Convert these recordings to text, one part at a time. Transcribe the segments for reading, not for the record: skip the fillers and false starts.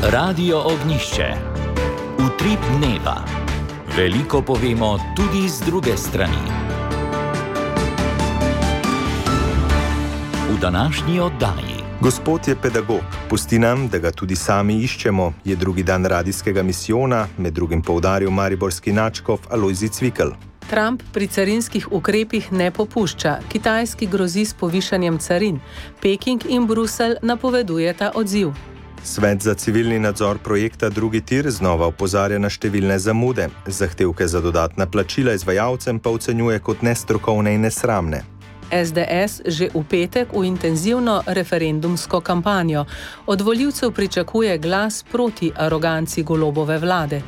Radio Ognišče. Utrip dneva. Veliko povemo tudi z druge strani. V današnji oddaji. Gospod je pedagog. Pusti nam, da ga tudi sami iščemo, je drugi dan radijskega misijona, med drugim poudaril mariborski nadškof Alojzij Cvikl. Trump pri carinskih ukrepih ne popušča. Kitajski grozi s povišanjem carin. Peking in Bruselj napovedujeta odziv. Svet za civilni nadzor projekta Drugi tir znova opozarja na številne zamude. Zahtevke za dodatna plačila izvajalcem pa ocenjuje kot nestrokovne in nesramne. SDS že v petek v intenzivno referendumsko kampanjo. Od volivcev pričakuje glas proti aroganci Golobove vlade.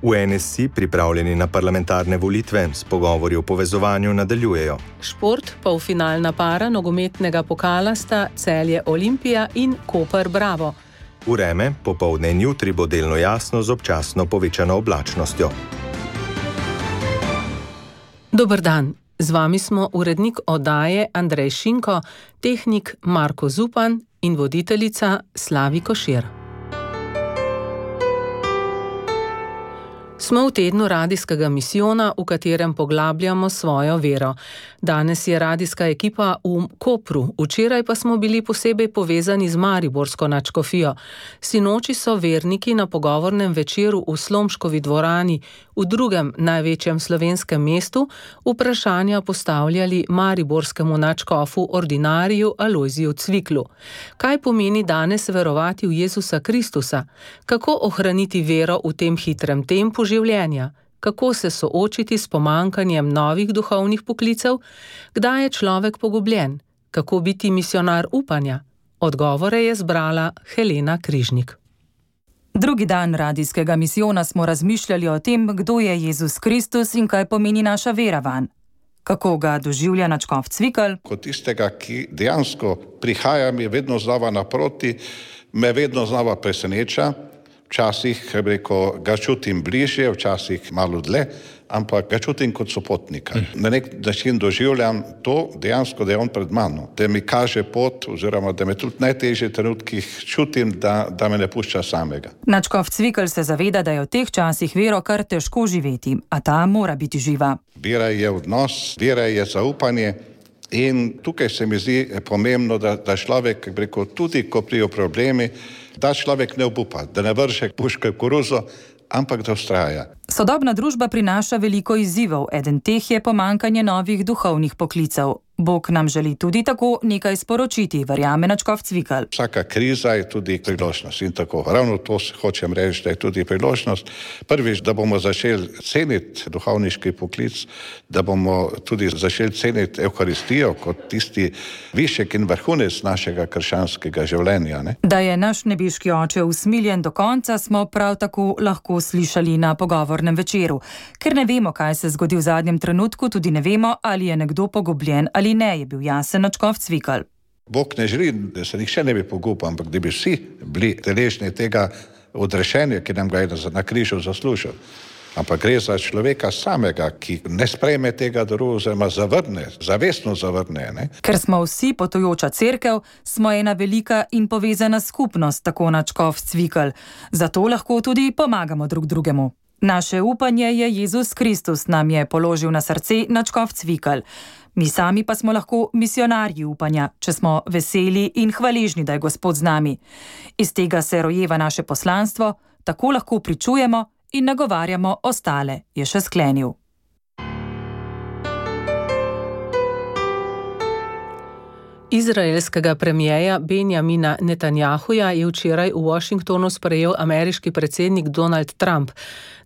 V NSI pripravljeni na parlamentarne volitve s pogovori o povezovanju nadaljujejo. Šport, polfinalna para nogometnega pokala sta Celje Olimpija in Koper Bravo. Vreme, popoldne in jutri bo delno jasno z občasno povečano oblačnostjo. Dober dan, z vami smo urednik oddaje Andrej Šinko, tehnik Marko Zupan in voditeljica Slavi Košir. Smo v tednu radijskega misijona, v katerem poglabljamo svojo vero. Danes je radijska ekipa v Kopru, včeraj pa smo bili posebej povezani z mariborsko nadškofijo. Sinoči so verniki na pogovornem večeru v Slomškovi dvorani, v drugem največjem slovenskem mestu, vprašanja postavljali mariborskemu nadškofu ordinariju Alojziju Cviklu. Kaj pomeni danes verovati v Jezusa Kristusa? Kako ohraniti vero v tem hitrem tempu življenja? Kako se soočiti s pomanjkanjem novih duhovnih poklicev? Kdaj je človek pogubljen? Kako biti misionar upanja? Odgovore je zbrala Helena Križnik. Drugi dan radijskega misijona smo razmišljali o tem, kdo je Jezus Kristus in kaj pomeni naša vera vanj. Kako ga doživlja nadškof Cvikl? Kot tistega, ki dejansko prihaja mi vedno znova naproti, me vedno znova preseneča. Včasih, ga čutim bližje, včasih malo dlje, ampak ga čutim kot sopotnika. Na nek način doživljam to dejansko, da je on pred mano, da mi kaže pot, oziroma da me tudi v najtežjih trenutkih čutim, da me ne pušča samega. Nadškof Cvikl se zaveda, da je v teh časih vero kar težko živeti, a ta mora biti živa. Vera je odnos, vera je zaupanje in tukaj se mi zdi pomembno, da človek, tudi ko prijo problemi, da človek ne obupa, da ne vrže puške v koruzo, ampak da vztraja. Sodobna družba prinaša veliko izzivov, eden teh je pomanjkanje novih duhovnih poklicev. Bog nam želi tudi tako nekaj sporočiti, verjame nadškof Cvikl. Vsaka kriza je tudi priložnost in tako. Ravno to hočem reči, da je tudi priložnost. Prvič, da bomo začeli ceniti duhovniški poklic, da bomo tudi začeli ceniti Evharistijo kot tisti višek in vrhunec našega krščanskega življenja. Ne? Da je naš nebeški oče usmiljen do konca, smo prav tako lahko slišali na pogovornem večeru. Ker ne vemo, kaj se zgodi v zadnjem trenutku, tudi ne vemo, ali je nekdo pogubljen ali ne, je bil jasen nadškof Cvikl. Bog ne želi, da se nihče ne bi pogubal, ampak da bi vsi bili deležni tega odrešenja, ki nam ga je na križu zaslužil. Ampak gre za človeka samega, ki ne sprejme tega daru, oziroma zavestno zavrne. Ne? Ker smo vsi potujoča cerkev, smo ena velika in povezana skupnost, tako nadškof Cvikl. Zato lahko tudi pomagamo drug drugemu. Naše upanje je Jezus Kristus, nam je položil na srce nadškof Cvikl. Mi sami pa smo lahko misionarji upanja, če smo veseli in hvaležni, da je Gospod z nami. Iz tega se rojeva naše poslanstvo, tako lahko pričujemo in nagovarjamo ostale, je še sklenil. Izraelskega premierja Benjamina Netanjahuja je včeraj v Washingtonu sprejel ameriški predsednik Donald Trump.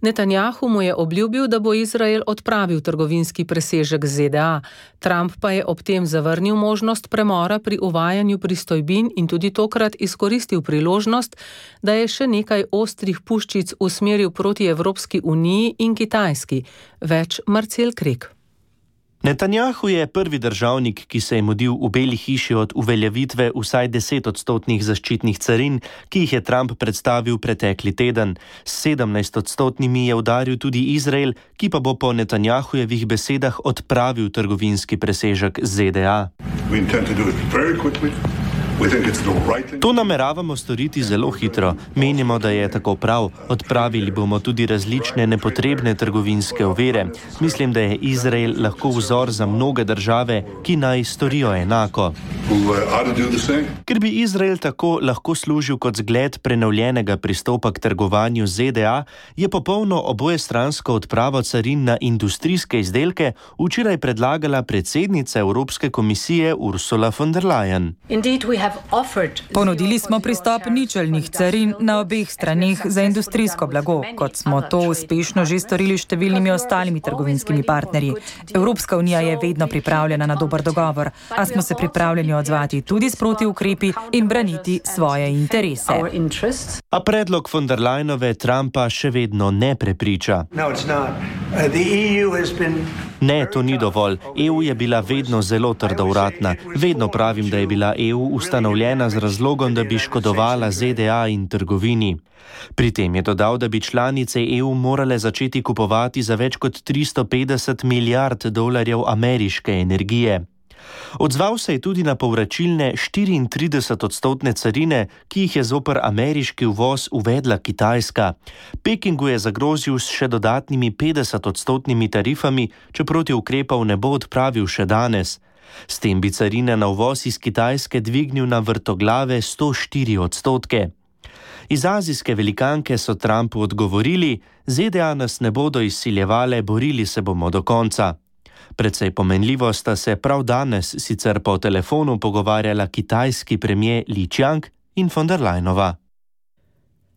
Netanjahu mu je obljubil, da bo Izrael odpravil trgovinski presežek ZDA. Trump pa je ob tem zavrnil možnost premora pri uvajanju pristojbin in tudi tokrat izkoristil priložnost, da je še nekaj ostrih puščic usmeril proti Evropski uniji in Kitajski. Več Marcel Krek. Netanjahu je prvi državnik, ki se je mudil v Beli hiši od uveljavitve vsaj 10% zaščitnih carin, ki jih je Trump predstavil pretekli teden. S 17% je udaril tudi Izrael, ki pa bo po Netanjahujevih besedah odpravil trgovinski presežek ZDA. We intend to do it very quickly To nameravamo storiti zelo hitro. Menimo, da je tako prav. Odpravili bomo tudi različne nepotrebne trgovinske ovire. Mislim, da je Izrael lahko vzor za mnoge države, ki naj storijo enako. Ker bi Izrael tako lahko služil kot zgled prenovljenega pristopa k trgovanju ZDA, je popolno obojestransko odpravo carin na industrijske izdelke včeraj predlagala predsednica Evropske komisije Ursula von der Leyen. Ponudili smo pristop ničelnih carin na obeh straneh za industrijsko blago, kot smo to uspešno že storili s številnimi ostalimi trgovinskimi partnerji. Evropska unija je vedno pripravljena na dober dogovor, a smo se pripravljeni odzvati tudi s protiukrepi in braniti svoje interese. A predlog von der Leyenove Trumpa še vedno ne prepriča. Ne, to ni dovolj. EU je bila vedno zelo trdovratna. Vedno pravim, da je bila EU ustanovljena z razlogom, da bi škodovala ZDA in trgovini. Pri tem je dodal, da bi članice EU morale začeti kupovati za več kot 350 milijard dolarjev ameriške energije. Odzval se je tudi na povračilne 34% carine, ki jih je zoper ameriški uvoz uvedla Kitajska. Pekingu je zagrozil s še dodatnimi 50% tarifami, če protiukrepov ne bo odpravil še danes. S tem bi carine na uvoz iz Kitajske dvignil na vrtoglave 104%. Iz azijske velikanke so Trumpu odgovorili: ZDA nas ne bodo izsiljevale, borili se bomo do konca. Precej pomenljivo sta se prav danes sicer po telefonu pogovarjala kitajski premier Li Qiang in von der Leyenova.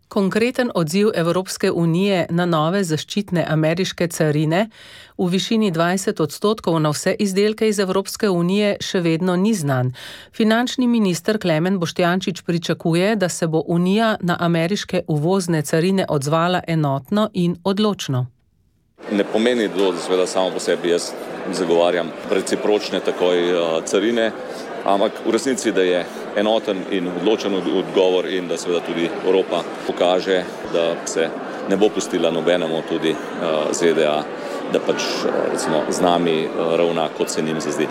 Konkreten odziv Evropske unije na nove zaščitne ameriške carine v višini 20% na vse izdelke iz Evropske unije še vedno ni znan. Finančni minister Klemen Boštjančič pričakuje, da se bo Unija na ameriške uvozne carine odzvala enotno in odločno. Ne pomeni to, da seveda samo po sebi jaz zagovarjam recipročne takoj carine, ampak v resnici, da je enoten in odločen odgovor in da seveda tudi Evropa pokaže, da se ne bo pustila nobenemu, tudi ZDA, da pač recimo z nami ravna, kot se njim zazdi.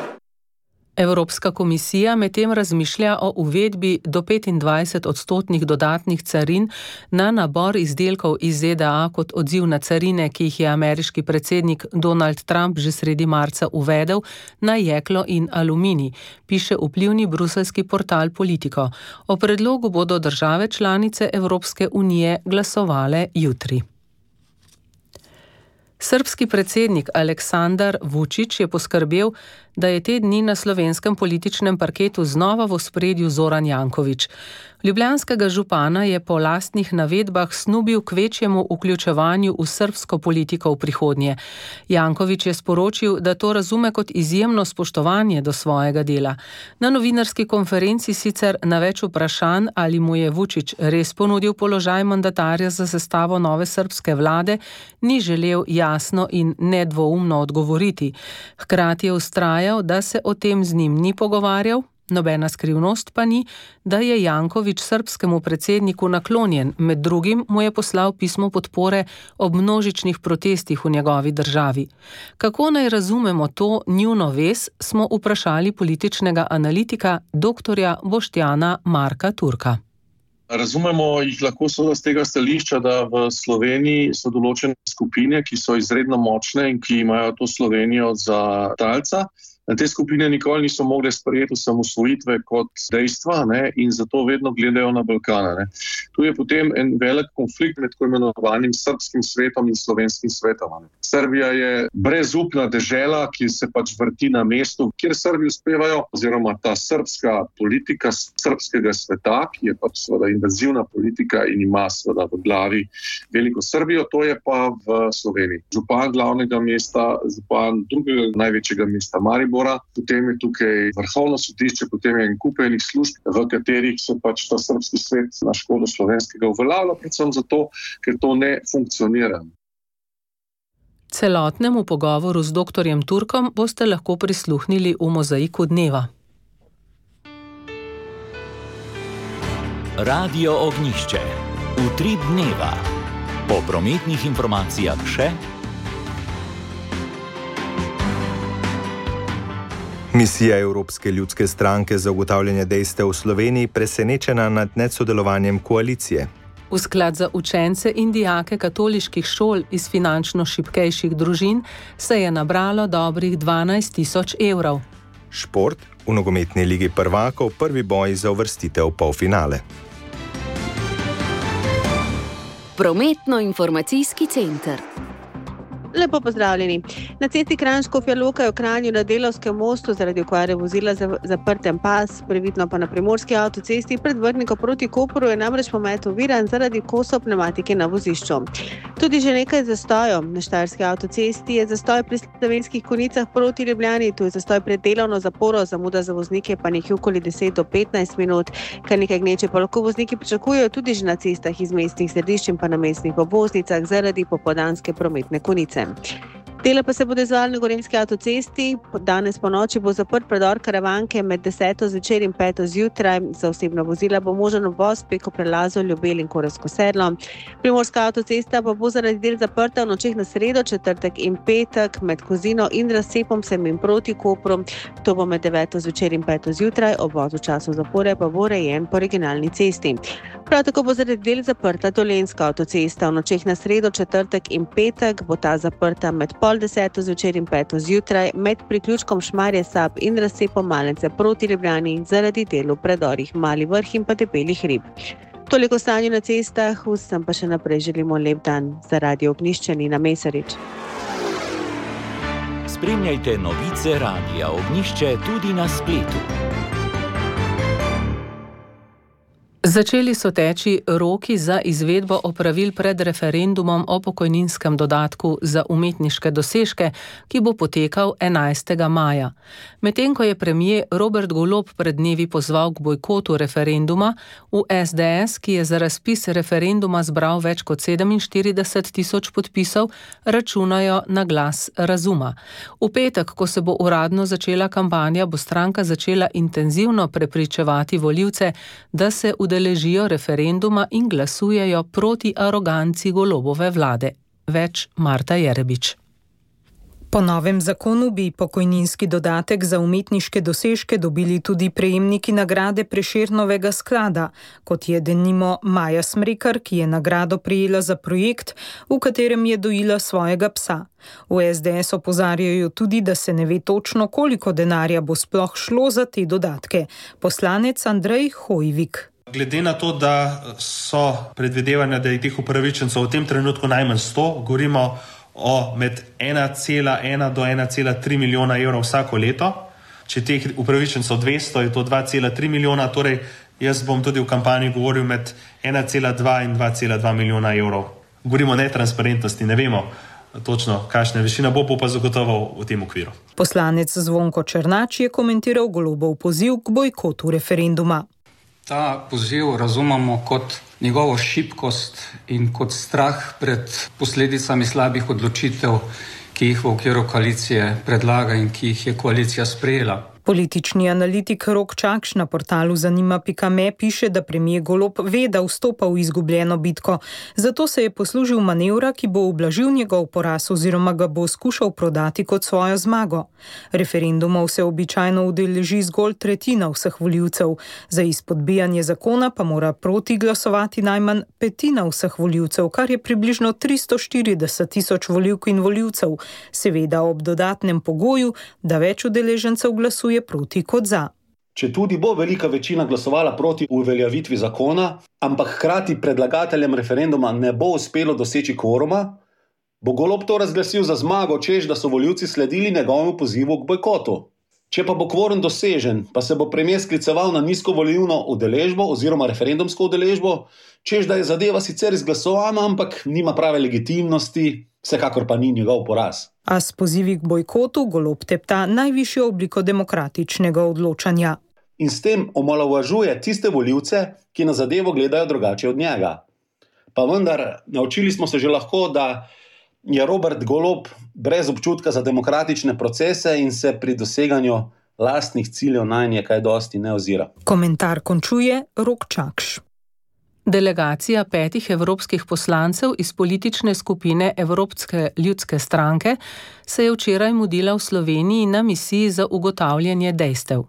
Evropska komisija medtem razmišlja o uvedbi do 25% dodatnih carin na nabor izdelkov iz ZDA kot odziv na carine, ki jih je ameriški predsednik Donald Trump že sredi marca uvedel na jeklo in aluminij, piše vplivni bruseljski portal Politico. O predlogu bodo države članice Evropske unije glasovale jutri. Srbski predsednik Aleksandar Vučić je poskrbel, da je te dni na slovenskem političnem parketu znova v ospredju Zoran Janković. Ljubljanskega župana je po lastnih navedbah snubil k večjemu vključevanju v srbsko politiko v prihodnje. Janković je sporočil, da to razume kot izjemno spoštovanje do svojega dela. Na novinarski konferenci sicer na več vprašanj, ali mu je Vučić res ponudil položaj mandatarja za sestavo nove srbske vlade, ni želel jasno in nedvoumno odgovoriti. Hkrati je vztrajal, da se o tem z njim ni pogovarjal. Nobena skrivnost pa ni, da je Janković srbskemu predsedniku naklonjen, med drugim mu je poslal pismo podpore ob množičnih protestih v njegovi državi. Kako naj razumemo to njuno vez, smo vprašali političnega analitika dr. Boštjana Marka Turka. Razumemo jih lahko z tega stališča, da v Sloveniji so določene skupine, ki so izredno močne in ki imajo to Slovenijo za talca. Te skupine nikoli niso mogle sprejeti osamosvojitve kot dejstva, in zato vedno gledajo na Balkana. Tu je potem en velik konflikt med tako imenovanim srbskim svetom in slovenskim svetom. Srbija je brezupna dežela, ki se pač vrti na mestu, kjer Srbi uspevajo, oziroma ta srbska politika srbskega sveta, ki je pač seveda invazivna politika in ima seveda v glavi veliko Srbijo, to je pa v Sloveniji. Župan glavnega mesta, župan drugega največjega mesta Maribor, potem je tukaj vrhovno sodišče, potem je en kup enih služb, v katerih se pač ta srbski svet na škodo slovenskega uveljavlja, predvsem zato, ker to ne funkcionira. Celotnemu pogovoru z dr. Turkom boste lahko prisluhnili v Mozaiku dneva. Radio Ognjišče. Utrip dneva. Po prometnih informacijah še Misija Evropske ljudske stranke za ugotavljanje dejstev v Sloveniji presenečena nad nesodelovanjem koalicije. V sklad za učence in dijake katoliških šol iz finančno šibkejših družin se je nabralo dobrih 12 000 evrov. Šport, v nogometni ligi prvakov prvi boj za uvrstitev v polfinale. Prometno-informacijski center. Lepo pozdravljeni. Na cesti Kranj-Škofja Loka je v Kranju na Delavskem mostu zaradi okvare vozila zaprten pas, previdno pa na primorski avtocesti pred Vrhniko proti Kopru je namreč promet oviran zaradi kosov pnevmatike na vozišču. Tudi že nekaj zastojev. Na Štajerski avtocesti je zastoj pri Slovenskih Konjicah proti Ljubljani, tu je zastoj pred delovno zaporo, zamuda za voznike pa nekje okoli 10 do 15 minut. Kar nekaj gneče pa lahko vozniki pričakujejo tudi že na cestah iz mestnih središč in pa na mestnih obvoznicah zaradi popoldanske prometne konice. Dela pa se bodo izvajali na Gorenjski avtocesti. Danes po noči bo zaprt predor Karavanke med 10. zvečer in 5. zjutraj. Za osebna vozila bo možen uvoz preko prelazov Ljubelj in Korevsko sedlo. Primorska avtocesta pa bo zaradi del zaprta v nočeh na sredo, četrtek in petek med Kozino in Razcepom sem in proti Kopru. To bo med 9. zvečer in 5. zjutraj, obvoz v času zapore pa bo urejen po regionalni cesti. Prav tako bo zaradi del zaprta Dolenjska avtocesta. V nočeh na sredo, četrtek in petek bo ta zaprta med 10. zvečer in 5. zjutraj med priključkom Šmarje Sab in Razcepom Malence proti Ljubljani zaradi del v predorih Mali Vrh in pa Debeli hrib. Toliko stanju na cestah, vsem pa še naprej želimo lep dan. Za Radio Ognjišče Nina Mesarič. Spremljajte novice Radia Ognjišče tudi na spletu. Začeli so teči roki za izvedbo opravil pred referendumom o pokojninskem dodatku za umetniške dosežke, ki bo potekal 11. maja. Medtem ko je premier Robert Golob pred dnevi pozval k bojkotu referenduma, v SDS, ki je za razpis referenduma zbral več kot 47 000 podpisov, računajo na glas razuma. V petek, ko se bo uradno začela kampanja, bo stranka začela intenzivno prepričevati volivce, da se udeležijo referenduma in glasujejo proti aroganci Golobove vlade. Več Marta Jerebič. Po novem zakonu bi pokojninski dodatek za umetniške dosežke dobili tudi prejemniki nagrade Prešernovega sklada, kot je denimo Maja Smrekar, ki je nagrado prejela za projekt, v katerem je dojila svojega psa. V SDS opozarjajo tudi, da se ne ve točno, koliko denarja bo sploh šlo za te dodatke. Poslanec Andrej Hojvik. Glede na to, da so predvidevanja, da je teh upravičencev v tem trenutku najmanj 100, govorimo o med 1,1 do 1,3 milijona evrov vsako leto. Če teh upravičencev 200, je to 2,3 milijona, torej jaz bom tudi v kampanji govoril med 1,2 in 2,2 milijona evrov. Govorimo o netransparentnosti, ne vemo točno, kakšna višina bo pa zagotovo v tem okviru. Poslanec Zvonko Černač je komentiral Golobov poziv k bojkotu referenduma. Ta poziv razumemo kot njegovo šibkost in kot strah pred posledicami slabih odločitev, ki jih v okviru koalicije predlaga in ki jih je koalicija sprejela. Politični analitik Rok Čakš na portalu zanima.me piše, da premier Golob ve, da vstopa v izgubljeno bitko, zato se je poslužil manevra, ki bo ublažil njegov poraz oziroma ga bo skušal prodati kot svojo zmago. Referendumov se običajno udeleži zgolj tretjina vseh volivcev, za izpodbijanje zakona pa mora proti glasovati najmanj petina vseh volivcev, kar je približno 340 000 volivk in volivcev, seveda ob dodatnem pogoju, da več udeležencev glasuje proti kot za. Če tudi bo velika večina glasovala proti uveljavitvi zakona, ampak hkrati predlagateljem referenduma ne bo uspelo doseči kvoruma, bo Golob to razglasil za zmago, češ da so volivci sledili njegovemu pozivu k bojkotu. Če pa bo kvorum dosežen, pa se bo premier skliceval na nizko volilno udeležbo oziroma referendumsko udeležbo, češ da je zadeva sicer izglasovana, ampak nima prave legitimnosti, vsekakor pa ni njegov poraz. A s pozivi k bojkotu Golob tepta najvišjo obliko demokratičnega odločanja. In s tem omalovažuje tiste volivce, ki na zadevo gledajo drugače od njega. Pa vendar, naučili smo se že lahko, da je Robert Golob brez občutka za demokratične procese in se pri doseganju lastnih ciljev nanje kaj dosti ne ozira. Komentar končuje Rok Čakš. Delegacija 5 evropskih poslancev iz politične skupine Evropske ljudske stranke se je včeraj mudila v Sloveniji na misiji za ugotavljanje dejstev.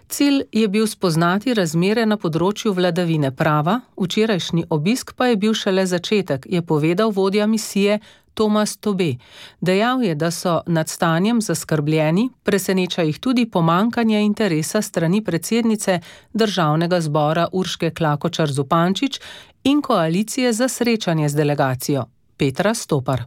Cilj je bil spoznati razmere na področju vladavine prava, včerajšnji obisk pa je bil šele začetek, je povedal vodja misije Tomas Tobe. Dejal je, da so nad stanjem zaskrbljeni, preseneča jih tudi pomanjkanje interesa strani predsednice Državnega zbora Urške Klakočar Zupančič in koalicije za srečanje z delegacijo Petra Stopar.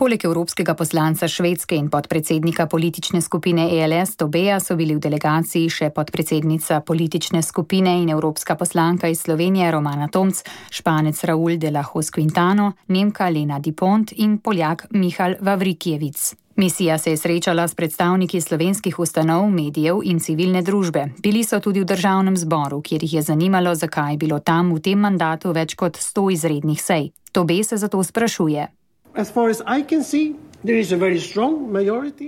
Poleg evropskega poslanca Švedske in podpredsednika politične skupine ELS Tobeja so bili v delegaciji še podpredsednica politične skupine in evropska poslanka iz Slovenije Romana Tomc, Španec Raúl de la Hoz Quintano, Nemka Lena Dipont in Poljak Michal Vavrikijevic. Misija se je srečala s predstavniki slovenskih ustanov, medijev in civilne družbe. Bili so tudi v Državnem zboru, kjer jih je zanimalo, zakaj je bilo tam v tem mandatu več kot 100 izrednih sej. Tobe se zato sprašuje.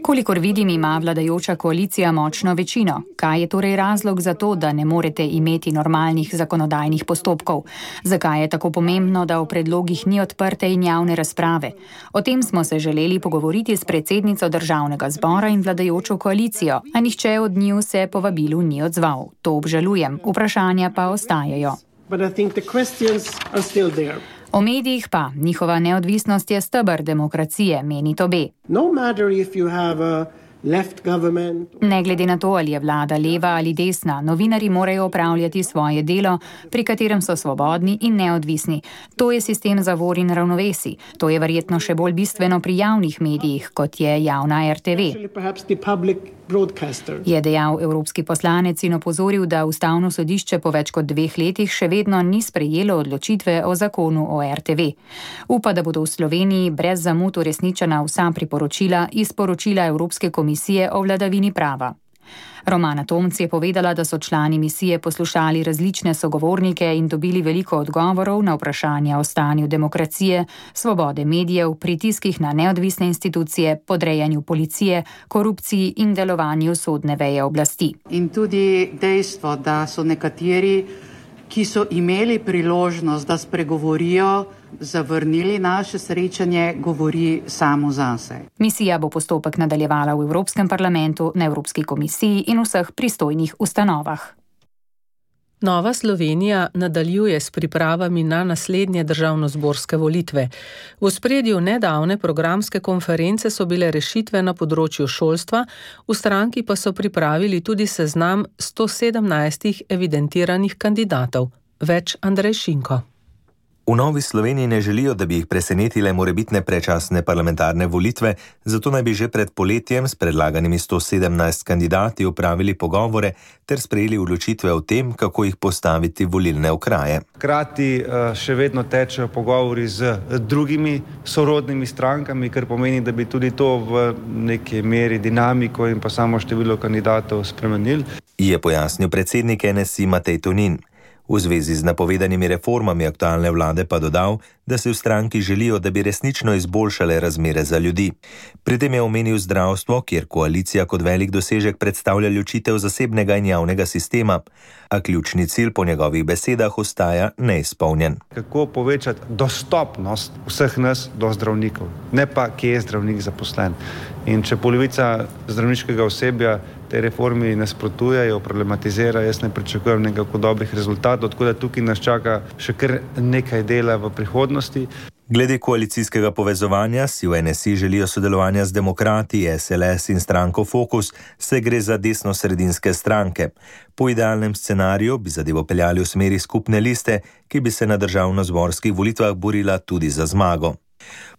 Kolikor vidim, ima vladajoča koalicija močno večino. Kaj je torej razlog za to, da ne morete imeti normalnih zakonodajnih postopkov? Zakaj je tako pomembno, da o predlogih ni odprte in javne razprave? O tem smo se želeli pogovoriti s predsednico Državnega zbora in vladajočo koalicijo, a nihče od njiju se povabilu ni odzval. To obžalujem, vprašanja pa ostajajo. O medijih pa, njihova neodvisnost je steber demokracije, meni Tobe. Ne glede na to, ali je vlada leva ali desna, novinarji morajo opravljati svoje delo, pri katerem so svobodni in neodvisni. To je sistem zavor in ravnovesij. To je verjetno še bolj bistveno pri javnih medijih, kot je javna RTV. Je dejal evropski poslanec in opozoril, da Ustavno sodišče po več kot 2 letih še vedno ni sprejelo odločitve o zakonu o RTV. Upa, da bodo v Sloveniji brez zamud uresničena vsa priporočila iz poročila Evropske komisije o vladavini prava. Romana Tomc je povedala, da so člani misije poslušali različne sogovornike in dobili veliko odgovorov na vprašanja o stanju demokracije, svobode medijev, pritiskih na neodvisne institucije, podrejanju policije, korupciji in delovanju sodne veje oblasti. In tudi dejstvo, da so nekateri, ki so imeli priložnost, da spregovorijo, zavrnili naše srečanje, govori samo zase. Misija bo postopek nadaljevala v Evropskem parlamentu, na Evropski komisiji in vseh pristojnih ustanovah. Nova Slovenija nadaljuje s pripravami na naslednje državnozborske volitve. V ospredju nedavne programske konference so bile rešitve na področju šolstva, v stranki pa so pripravili tudi seznam 117 evidentiranih kandidatov. Več Andrej Šinko. V Novi Sloveniji ne želijo, da bi jih presenetile morebitne predčasne parlamentarne volitve, zato naj bi že pred poletjem s predlaganimi 117 kandidati opravili pogovore ter sprejeli odločitve o tem, kako jih postaviti v volilne okraje. Hkrati še vedno tečejo pogovori z drugimi sorodnimi strankami, kar pomeni, da bi tudi to v neki meri dinamiko in pa samo število kandidatov spremenili. Je pojasnil predsednik NSI Matej Tonin. V zvezi z napovedanimi reformami aktualne vlade pa dodal, da se v stranki želijo, da bi resnično izboljšale razmere za ljudi. Pri tem je omenil zdravstvo, kjer koalicija kot velik dosežek predstavlja ločitev zasebnega in javnega sistema, a ključni cilj po njegovih besedah ostaja neizpolnjen. Kako povečati dostopnost vseh nas do zdravnikov, ne pa kje je zdravnik zaposlen. In če polovica zdravniškega osebja te reformi nasprotujejo, problematizira, jaz ne pričakujem nekako dobrih rezultatov, tako da tukaj nas čaka še kar nekaj dela v prihodnosti. Glede koalicijskega povezovanja si v NSI želijo sodelovanja z demokrati, SLS in stranko Fokus, se gre za desno-sredinske stranke. Po idealnem scenariju bi zadevo peljali v smeri skupne liste, ki bi se na državnozborskih volitvah borila tudi za zmago.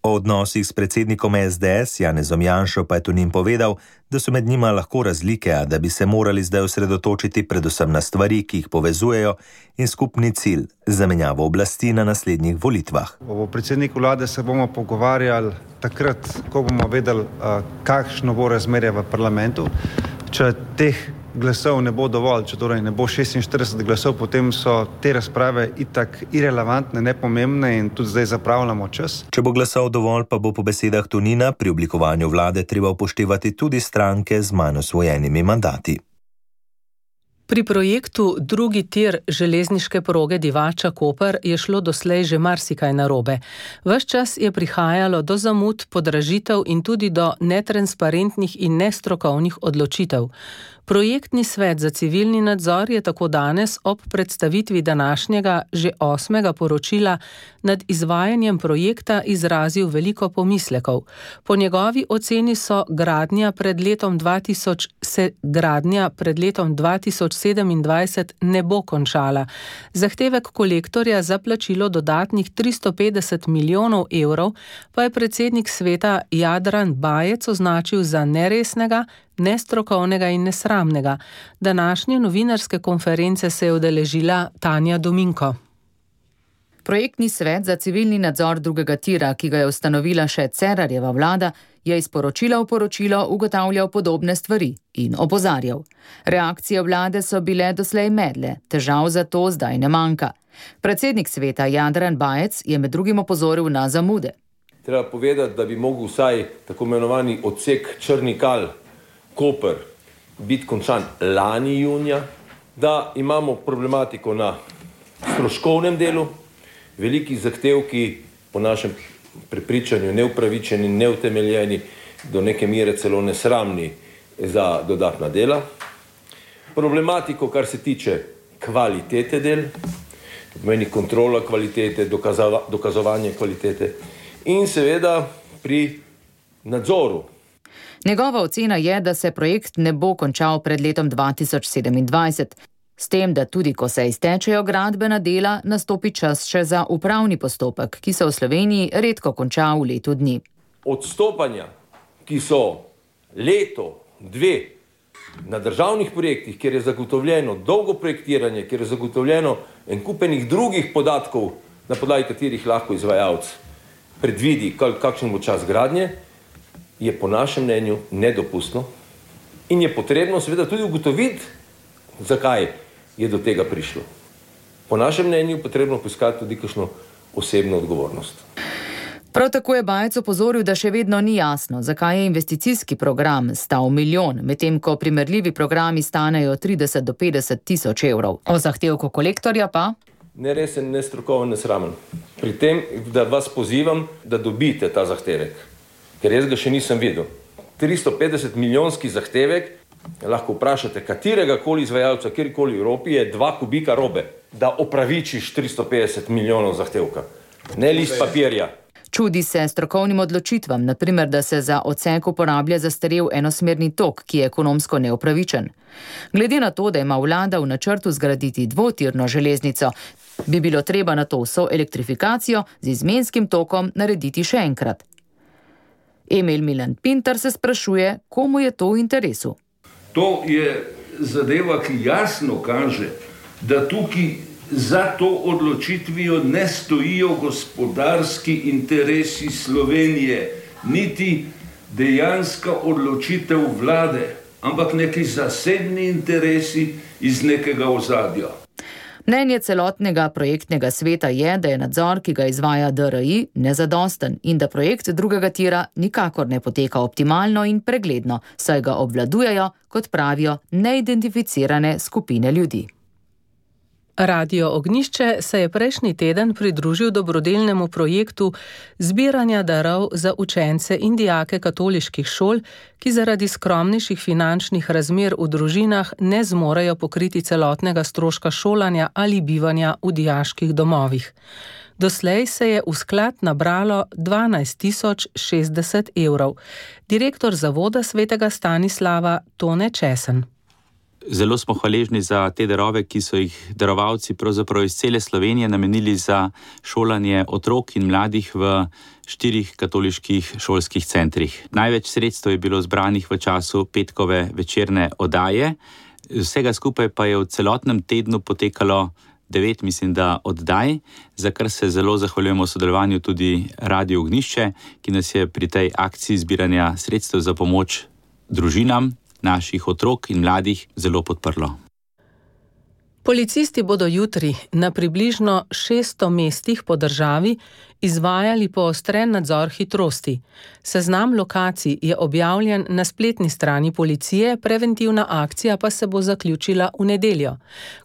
O odnosih s predsednikom SDS Janezom Janšo pa je Tonin povedal, da so med njima lahko razlike, a da bi se morali zdaj osredotočiti predvsem na stvari, ki jih povezujejo, in skupni cilj zamenjavo oblasti na naslednjih volitvah. O predsedniku vlade se bomo pogovarjali takrat, ko bomo vedeli, kakšno bo razmerje v parlamentu. Če teh glasov ne bo dovolj, če torej ne bo 46 glasov, potem so te razprave itak irelevantne, nepomembne in tudi zdaj zapravljamo čas. Če bo glasov dovolj, pa bo po besedah Tonina pri oblikovanju vlade treba upoštevati tudi stranke z manj osvojenimi mandati. Pri projektu drugi tir železniške proge Divača-Koper je šlo doslej že marsikaj narobe. Ves čas je prihajalo do zamud, podražitev in tudi do netransparentnih in nestrokovnih odločitev. Projektni svet za civilni nadzor je tako danes ob predstavitvi današnjega že 8. poročila nad izvajanjem projekta izrazil veliko pomislekov. Po njegovi oceni so gradnja pred letom 2027 ne bo končala. Zahtevek kolektorja za plačilo dodatnih 350 milijonov evrov pa je predsednik sveta Jadran Bajec označil za neresnega, nestrokovnega in nesramnega. Današnje novinarske konference se je udeležila Tanja Dominko. Projektni svet za civilni nadzor drugega tira, ki ga je ustanovila še Cerarjeva vlada, je iz poročila v poročilo ugotavljal podobne stvari in opozarjal. Reakcije vlade so bile doslej medle, težav zato zdaj ne manjka. Predsednik sveta Jadran Bajec je med drugim opozoril na zamude. Treba povedati, da bi mogel vsaj tako imenovani odsek Črnikal Koper biti končan lani junija, da imamo problematiko na stroškovnem delu, veliki zahtevki po našem prepričanju neupravičeni, neutemeljeni, do neke mere celo nesramni za dodatna dela. Problematiko, kar se tiče kvalitete del, pomeni kontrola kvalitete, dokazovanje kvalitete in seveda pri nadzoru. Njegova ocena je, da se projekt ne bo končal pred letom 2027, s tem, da tudi ko se iztečejo gradbena dela, nastopi čas še za upravni postopek, ki se v Sloveniji redko konča v letu dni. Odstopanja, ki so leto, dve na državnih projektih, kjer je zagotovljeno dolgo projektiranje, kjer je zagotovljeno en kupenih drugih podatkov, na podlagi katerih lahko izvajalec predvidi, kakšen bo čas gradnje, je po našem mnenju nedopustno in je potrebno seveda tudi ugotoviti, zakaj je do tega prišlo. Po našem mnenju potrebno poiskati tudi kakšno osebno odgovornost. Prav tako je Bajec opozoril, da še vedno ni jasno, zakaj je investicijski program stal milijon, medtem ko primerljivi programi stanejo 30 do 50 tisoč evrov. O zahtevku kolektorja pa? Neresen, nestrokoven, nesramen. Pri tem, da vas pozivam, da dobite ta zahtevek, ker jaz ga še nisem videl. 350 milijonski zahtevek, lahko vprašate katerega koli izvajalca, kjerkoli v Evropi, je 2 kubika robe, da opravičiš 350 milijonov zahtevka. Ne list papirja. Čudi se strokovnim odločitvam, naprimer, da se za odsek uporablja zastarel enosmerni tok, ki je ekonomsko neupravičen. Glede na to, da ima vlada v načrtu zgraditi dvotirno železnico, bi bilo treba na to vso elektrifikacijo z izmenskim tokom narediti še enkrat. Emil Milan Pintar se sprašuje, komu je to v interesu. To je zadeva, ki jasno kaže, da tukaj za to odločitvijo ne stojijo gospodarski interesi Slovenije, niti dejanska odločitev vlade, ampak neki zasebni interesi iz nekega ozadja. Mnenje celotnega projektnega sveta je, da je nadzor, ki ga izvaja DRI, nezadosten in da projekt drugega tira nikakor ne poteka optimalno in pregledno, saj ga obvladujejo, kot pravijo, neidentificirane skupine ljudi. Radio Ognjišče se je prejšnji teden pridružil dobrodelnemu projektu zbiranja darov za učence in dijake katoliških šol, ki zaradi skromnejših finančnih razmer v družinah ne zmorejo pokriti celotnega stroška šolanja ali bivanja v dijaških domovih. Doslej se je v sklad nabralo 12.060 evrov. Direktor zavoda svetega Stanislava Tone Česen. Zelo smo hvaležni za te darove, ki so jih darovalci pravzaprav iz cele Slovenije namenili za šolanje otrok in mladih v 4 katoliških šolskih centrih. Največ sredstev je bilo zbranih v času petkove večerne oddaje. Vsega skupaj pa je v celotnem tednu potekalo 9, mislim, da oddaj, za kar se zelo zahvaljujemo sodelovanju tudi Radio Ognjišče, ki nas je pri tej akciji zbiranja sredstev za pomoč družinam naših otrok in mladih zelo podprlo. Policisti bodo jutri na približno 600 mestih po državi izvajali poostren nadzor hitrosti. Seznam lokacij je objavljen na spletni strani policije, preventivna akcija pa se bo zaključila v nedeljo.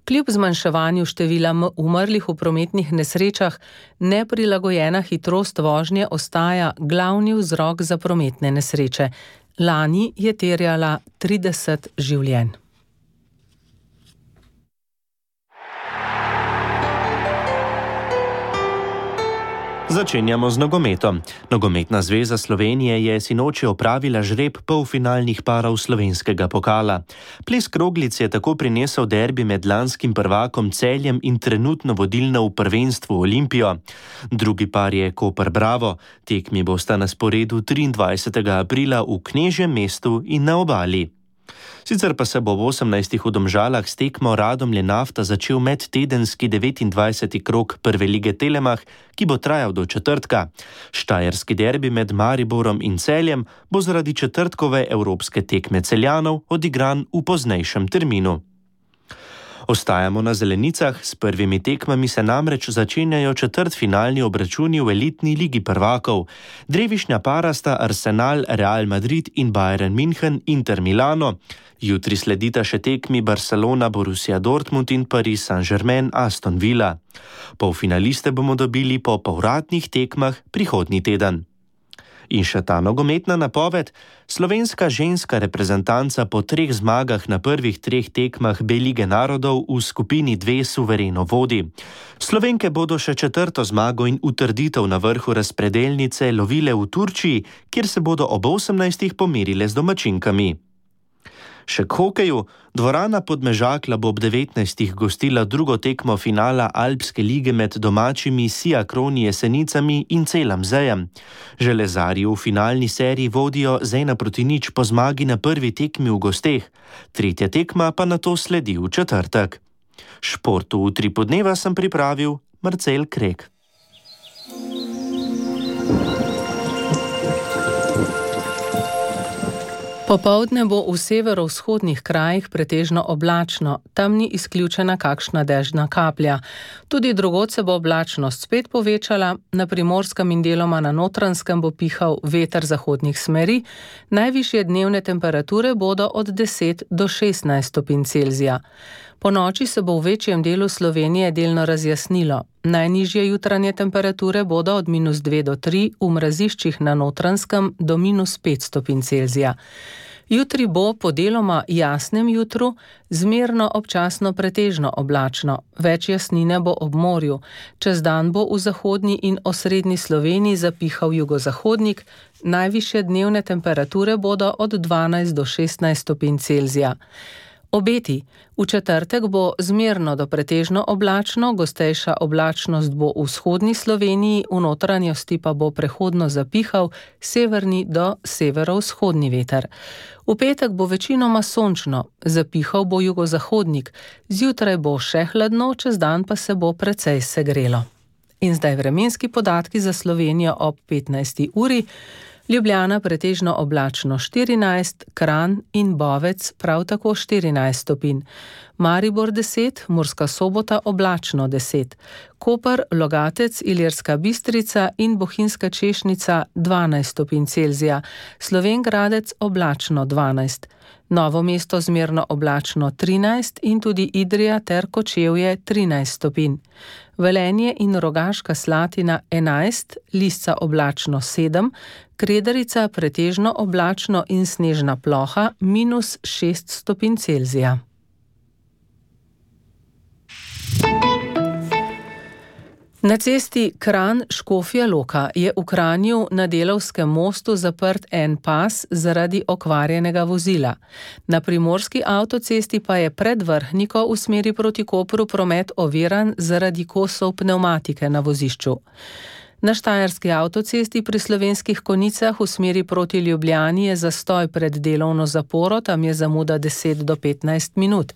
Kljub zmanjševanju števila umrlih v prometnih nesrečah, neprilagojena hitrost vožnje ostaja glavni vzrok za prometne nesreče. Lani je terjala 30 življenj. Začenjamo z nogometom. Nogometna zveza Slovenije je sinoči opravila žreb polfinalnih parov slovenskega pokala. Ples kroglic je tako prinesel derbi med lanskim prvakom Celjem in trenutno vodilno v prvenstvu Olimpijo. Drugi par je Koper Bravo. Tekmi bosta na sporedu 23. aprila v Knežjem mestu in na Obali. Sicer pa se bo v 18. v Domžalah s tekmo Radomlje Nafta začel medtedenski 29. krog prve lige Telemach, ki bo trajal do četrtka. Štajerski derbi med Mariborom in Celjem bo zaradi četrtkove evropske tekme Celjanov odigran v poznejšem terminu. Ostajamo na zelenicah, s prvimi tekmami se namreč začenjajo četrtfinalni obračuni v elitni ligi prvakov. Drevišnja para sta Arsenal, Real Madrid in Bayern München Inter Milano. Jutri sledita še tekmi Barcelona, Borussia Dortmund in Paris Saint-Germain Aston Villa. Polfinaliste bomo dobili po povratnih tekmah prihodnji teden. In še ta nogometna napoved. Slovenska ženska reprezentanca po 3 zmagah na prvih 3 tekmah B lige narodov v skupini 2 suvereno vodi. Slovenke bodo še 4. zmago in utrditev na vrhu razpredelnice lovile v Turčiji, kjer se bodo ob 18. pomerile z domačinkami. Še k hokeju. Dvorana Podmežakla bo ob 19. gostila drugo tekmo finala Alpske lige med domačimi Siakroni Jesenicami in Celam Zejem. Železarji v finalni seriji vodijo z 1-0 po zmagi na prvi tekmi v gosteh. Tretja tekma pa nato sledi v četrtek. Športu v Utripu dneva sem pripravil Marcel Krek. Popoldne bo v severovzhodnih krajih pretežno oblačno, tam ni izključena kakšna dežna kaplja. Tudi drugod se bo oblačnost spet povečala, na Primorskem in deloma na Notranjskem bo pihal veter zahodnih smeri, najvišje dnevne temperature bodo od 10 do 16 stopinj Celzija. Po noči se bo v večjem delu Slovenije delno razjasnilo. Najnižje jutranje temperature bodo od -2 do 3, v mraziščih na Notranjskem do -5 stopinj Celzija. Jutri bo po deloma jasnem jutru zmerno občasno pretežno oblačno, več jasnine bo ob morju. Čez dan bo v zahodni in osrednji Sloveniji zapihal jugozahodnik, najvišje dnevne temperature bodo od 12 do 16 stopinj Celzija. Obeti. V četrtek bo zmerno do pretežno oblačno, gostejša oblačnost bo v vzhodni Sloveniji, v notranjosti pa bo prehodno zapihal severni do severovzhodni veter. V petek bo večinoma sončno, zapihal bo jugozahodnik, zjutraj bo še hladno, čez dan pa se bo precej segrelo. In zdaj vremenski podatki za Slovenijo ob 15. uri. Ljubljana pretežno oblačno 14, Kranj in Bovec prav tako 14 stopinj. Maribor 10, Murska Sobota oblačno 10, Koper, Logatec, Ilirska Bistrica in Bohinjska Češnica 12 stopinj Celzija, Slovenj Gradec oblačno 12, Novo mesto zmerno oblačno 13 in tudi Idrija ter Kočevje 13 stopinj. Velenje in Rogaška Slatina 11, Lisca oblačno 7, Kredarica pretežno oblačno in snežna ploha -6 stopinj Celzija. Na cesti Kranj-Škofja Loka je v Kranju na Delavskem mostu zaprt en pas zaradi okvarjenega vozila. Na primorski avtocesti pa je pred Vrhniko v smeri proti Kopru promet oviran zaradi kosov pnevmatike na vozišču. Na štajerski avtocesti pri Slovenskih Konjicah v smeri proti Ljubljani je zastoj pred delovno zaporo, tam je zamuda 10 do 15 minut.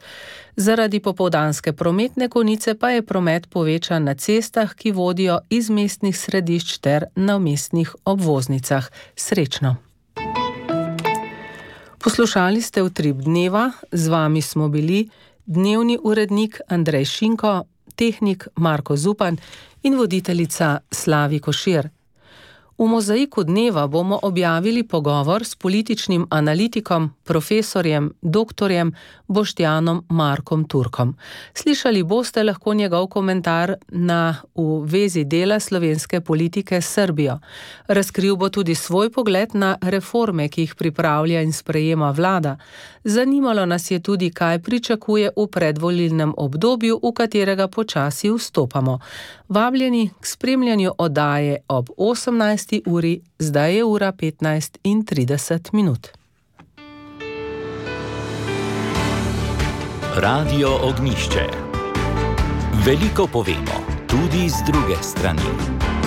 Zaradi popoldanske prometne konice pa je promet povečan na cestah, ki vodijo iz mestnih središč ter na mestnih obvoznicah. Srečno! Poslušali ste Utrip dneva, z vami smo bili Dnevni urednik Andrej Šinko, tehnik Marko Zupan in voditeljica Slavi Košir. V mozaiku dneva bomo objavili pogovor s političnim analitikom, profesorjem, doktorjem Boštjanom Markom Turkom. Slišali boste lahko njegov komentar v vezi dela slovenske politike s Srbijo. Razkril bo tudi svoj pogled na reforme, ki jih pripravlja in sprejema vlada. Zanimalo nas je tudi, kaj pričakuje v predvolilnem obdobju, v katerega počasi vstopamo. Vabljeni k spremljanju oddaje ob 18. uri, zdaj je ura 15:30. Radio Ognjišče. Veliko povemo, tudi z druge strani.